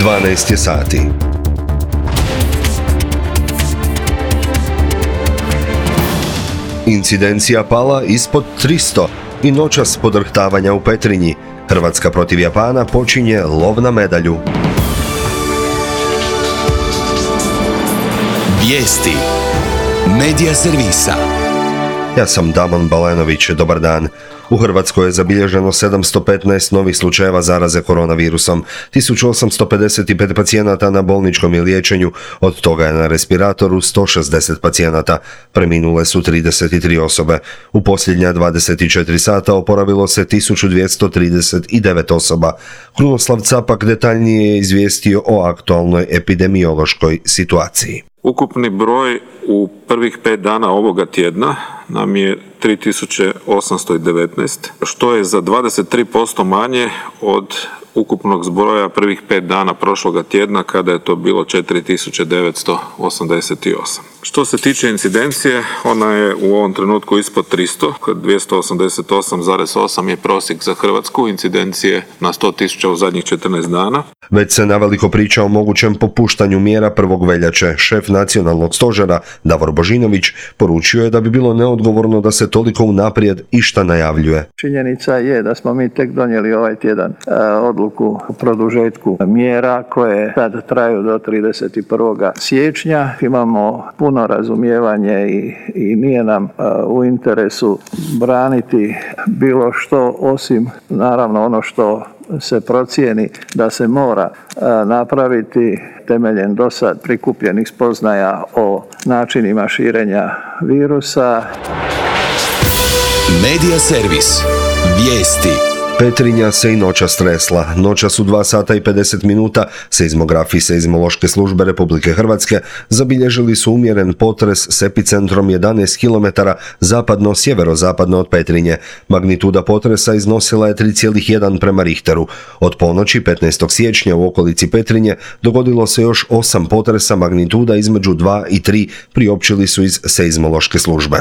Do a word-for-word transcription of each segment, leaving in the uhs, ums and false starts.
dvanaest je sati. Incidencija pala ispod tristo i noćas podrhtavanja u Petrinji. Hrvatska protiv Japana počinje lov na medalju. Vijesti Medija servisa. Ja sam Damon Balenović, dobar dan. U Hrvatskoj je zabilježeno sedamsto petnaest novih slučajeva zaraze koronavirusom, tisuću osamsto pedeset pet pacijenata na bolničkom je liječenju, od toga je na respiratoru sto šezdeset pacijenata, preminule su trideset tri osobe. U posljednja dvadeset četiri sata oporavilo se tisuću dvjesto trideset devet osoba. Krunoslav Capak detaljnije je izvijestio o aktualnoj epidemiološkoj situaciji. Ukupni broj u prvih pet dana ovoga tjedna nam je tri tisuće osamsto devetnaest, što je za dvadeset tri posto manje od ukupnog zbroja prvih pet dana prošloga tjedna kada je to bilo četiri tisuće devetsto osamdeset osam. Što se tiče incidencije, ona je u ovom trenutku ispod tristo, dvjesto osamdeset osam zarez osam je prosjek za Hrvatsku, incidencije na sto tisuća u zadnjih četrnaest dana. Već se naveliko priča o mogućem popuštanju mjera prvog veljače. Šef nacionalnog stožera Davor Božinović poručio je da bi bilo neodgovorno da se toliko unaprijed išta najavljuje. Činjenica je da smo mi tek donijeli ovaj tjedan odluku o produžetku mjera koje sad traju do trideset prvog siječnja. Imamo puno razumijevanje i, i nije nam u interesu braniti bilo što osim naravno ono što se procijeni da se mora napraviti temeljem do sad prikupljenih spoznaja o načinima širenja virusa. Medija servis. Vijesti. Petrinja se i noća stresla. Noća su dva sata i pedeset minuta. Seizmografi Seizmološke službe Republike Hrvatske zabilježili su umjeren potres s epicentrom jedanaest kilometara zapadno-sjeverozapadno od Petrinje. Magnituda potresa iznosila je tri zarez jedan prema Richteru. Od ponoći petnaestog siječnja u okolici Petrinje dogodilo se još osam potresa magnituda između dva i tri, priopćili su iz Seizmološke službe.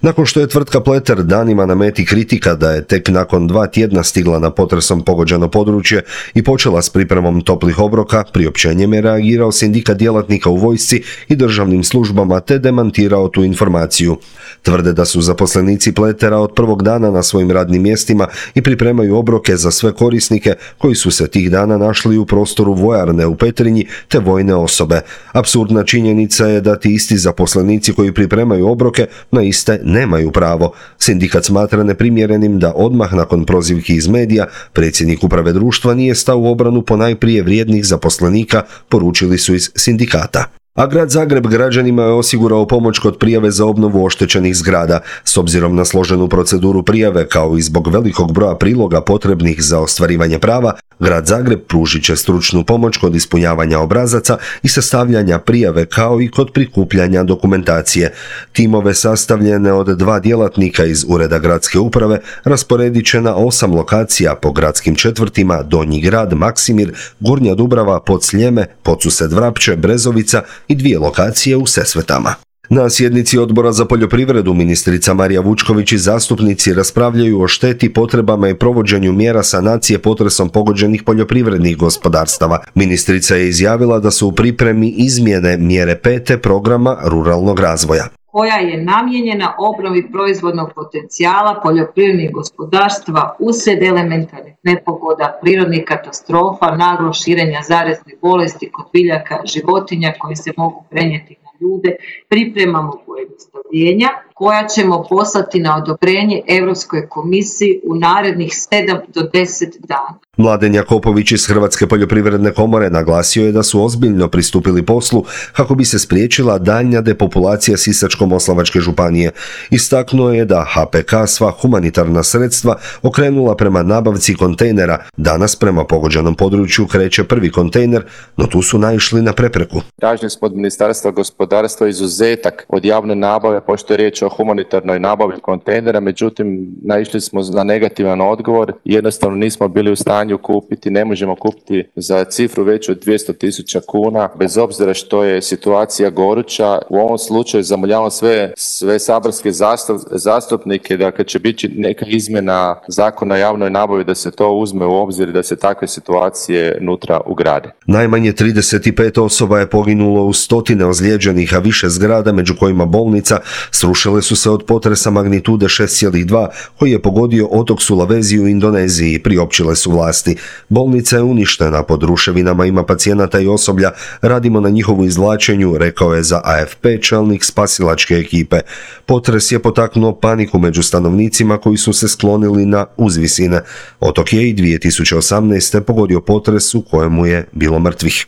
Nakon što je tvrtka Pleter danima na meti kritika da je tek nakon dva tjedna stigla na potresom pogođeno područje i počela s pripremom toplih obroka, priopćenjem je reagirao sindikat djelatnika u vojsci i državnim službama te demantirao tu informaciju. Tvrde da su zaposlenici Pletera od prvog dana na svojim radnim mjestima i pripremaju obroke za sve korisnike koji su se tih dana našli u prostoru vojarne u Petrinji te vojne osobe. Apsurdna činjenica je da ti isti zaposlenici koji pripremaju obroke na iste nemaju pravo. Sindikat smatra neprimjerenim da odmah nakon prozivki iz medija predsjednik uprave društva nije stao u obranu ponajprije vrijednih zaposlenika, poručili su iz sindikata. A grad Zagreb građanima je osigurao pomoć kod prijave za obnovu oštećenih zgrada. S obzirom na složenu proceduru prijave, kao i zbog velikog broja priloga potrebnih za ostvarivanje prava, grad Zagreb pružit će stručnu pomoć kod ispunjavanja obrazaca i sastavljanja prijave, kao i kod prikupljanja dokumentacije. Timove sastavljene od dva djelatnika iz Ureda gradske uprave rasporedit će na osam lokacija po gradskim četvrtima Donji grad, Maksimir, Gornja Dubrava, Podsljeme, Podsused Vrapče, Brezovica i dvije lokacije u Sesvetama. Na sjednici Odbora za poljoprivredu ministrica Marija Vučković i zastupnici raspravljaju o šteti, potrebama i provođenju mjera sanacije potresom pogođenih poljoprivrednih gospodarstava. Ministrica je izjavila da su u pripremi izmjene mjere pete programa ruralnog razvoja, koja je namijenjena obnovi proizvodnog potencijala poljoprivrednih gospodarstva uslijed elementarnih nepogoda, prirodnih katastrofa, naglog širenja zaraznih bolesti kod biljaka, životinja koje se mogu prenijeti na ljude. Pripremamo pojednostavljenja koja ćemo poslati na odobrenje Europskoj komisiji u narednih sedam do deset dana. Mladen Jakopović iz Hrvatske poljoprivredne komore naglasio je da su ozbiljno pristupili poslu kako bi se spriječila daljnja depopulacija Sisačko-moslavačke županije. Istaknuo je da H P K sva humanitarna sredstva okrenula prema nabavci kontejnera. Danas prema pogođenom području kreće prvi kontejner, no tu su naišli na prepreku. Tražili smo od Ministarstva gospodarstva izuzetak od javne nabave, pošto je riječ o humanitarnoj nabavi kontejnera, međutim naišli smo na negativan odgovor, jednostavno nismo bili u stanju kupiti, ne možemo kupiti za cifru veću od dvjesto tisuća kuna, bez obzira što je situacija goruća. U ovom slučaju zamoljavam sve, sve saborske zastup, zastupnike da kad će biti neka izmjena zakona o javnoj nabavi da se to uzme u obzir i da se takve situacije nutra ugrade. Najmanje trideset pet osoba je poginulo, u stotine ozlijeđenih, a više zgrada, među kojima bolnica, srušile su se od potresa magnitude šest zarez dva koji je pogodio otok Sulawesi u Indoneziji, priopćile su vlasti. Bolnica je uništena, pod ruševinama ima pacijenata i osoblja, radimo na njihovu izvlačenju, rekao je za A F P čelnik spasilačke ekipe. Potres je potaknuo paniku među stanovnicima koji su se sklonili na uzvisine. Otok je i dvije tisuće osamnaeste. pogodio potres u kojemu je bilo mrtvih.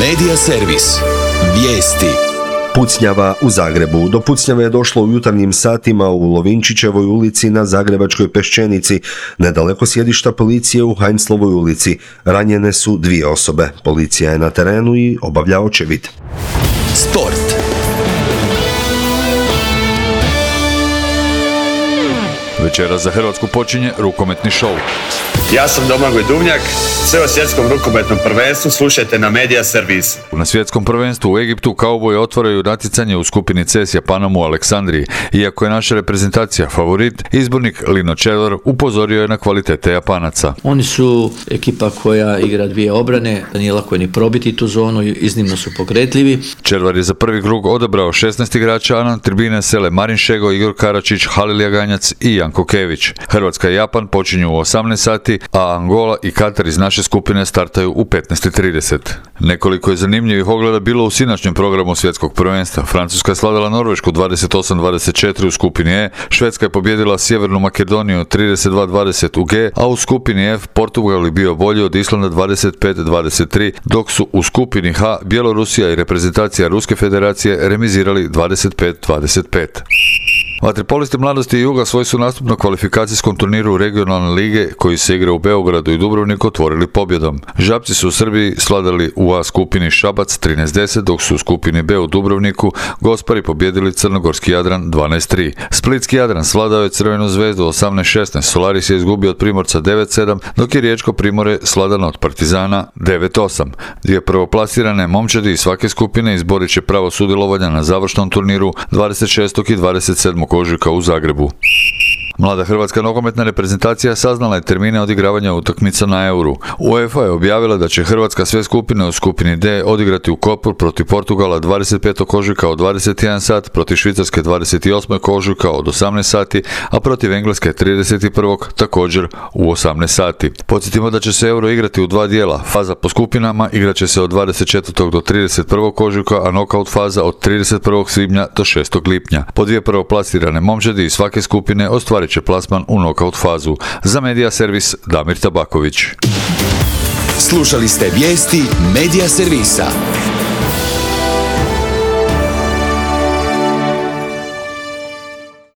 Medija servis. Vijesti. Pucnjava u Zagrebu. Do pucnjave je došlo u jutarnjim satima u Lovinčićevoj ulici na Zagrebačkoj Peščenici, nedaleko sjedišta policije u Heinzlovoj ulici. Ranjene su dvije osobe. Policija je na terenu i obavlja očevid. Sport. Večera za Hrvatsku počinje rukometni šou. Ja sam Domagoj Duvnjak, sve o svjetskom rukometnom prvenstvu slušajte na Medija servisu. Na svjetskom prvenstvu u Egiptu kauboji otvaraju natjecanje u skupini C s Japanom u Aleksandriji. Iako je naša reprezentacija favorit, izbornik Lino Čelvar upozorio je na kvalitete Japanaca. Oni su ekipa koja igra dvije obrane, nije lako je ni probiti tu zonu, iznimno su pokretljivi. Čelvar je za prvi krug odabrao šesnaest igrača, a na tribine sele Marin Šego, Igor Karačić, Halil Jaganjac i Janko Kević. Hrvatska i Japan počinju u osamnaest sati, a Angola i Katar iz naše skupine startaju u petnaest i trideset. Nekoliko je zanimljivih ogleda bilo u sinoćnjem programu svjetskog prvenstva. Francuska je slavila Norvešku dvadeset osam dvadeset četiri u skupini E, Švedska je pobijedila Sjevernu Makedoniju trideset dva dvadeset u G, a u skupini F Portugal je bio bolji od Islanda dvadeset pet dvadeset tri, dok su u skupini H Bjelorusija i reprezentacija Ruske federacije remizirali dvadeset pet dvadeset pet. Vaterpolisti Mladosti i Juga svoj su nastup na kvalifikacijskom turniru regionalne lige koji se igra u Beogradu i Dubrovniku otvorili pobjedom. Žabci su u Srbiji svladali u A skupini Šabac trinaest deset, dok su u skupini B u Dubrovniku Gospari pobjedili Crnogorski Jadran dvanaest tri. Splitski Jadran svladao je Crvenu zvezdu osamnaest šesnaest, Solaris je izgubio od Primorca devet sedam, dok je Riječko Primorje svladano od Partizana devet osam. Dvije prvoplasirane momčadi iz svake skupine izborit će pravo sudjelovanja na završnom turniru dvadeset šestog i dvadeset sedmog ožujka u Zagrebu. Mlada hrvatska nogometna reprezentacija saznala je termine odigravanja utakmica na Euru. UEFA je objavila da će Hrvatska sve skupine u skupini D odigrati u Kopru protiv Portugala dvadeset petog ožujka od dvadeset jedan sat, protiv Švicarske dvadeset osmog ožujka od osamnaest sati, a protiv Engleske trideset prvog također u osamnaest sati. Podsjetimo da će se Euro igrati u dva dijela. Faza po skupinama igraće se od dvadeset četvrtog do trideset prvog ožujka, a nokaut faza od trideset prvog svibnja do šestog lipnja. Po dvije prvoplasirane momčadi iz svake skupine ostvarit će plasman u nokaut fazu. Za Medija servis Damir Tabaković. Slušali ste vijesti Medija servisa.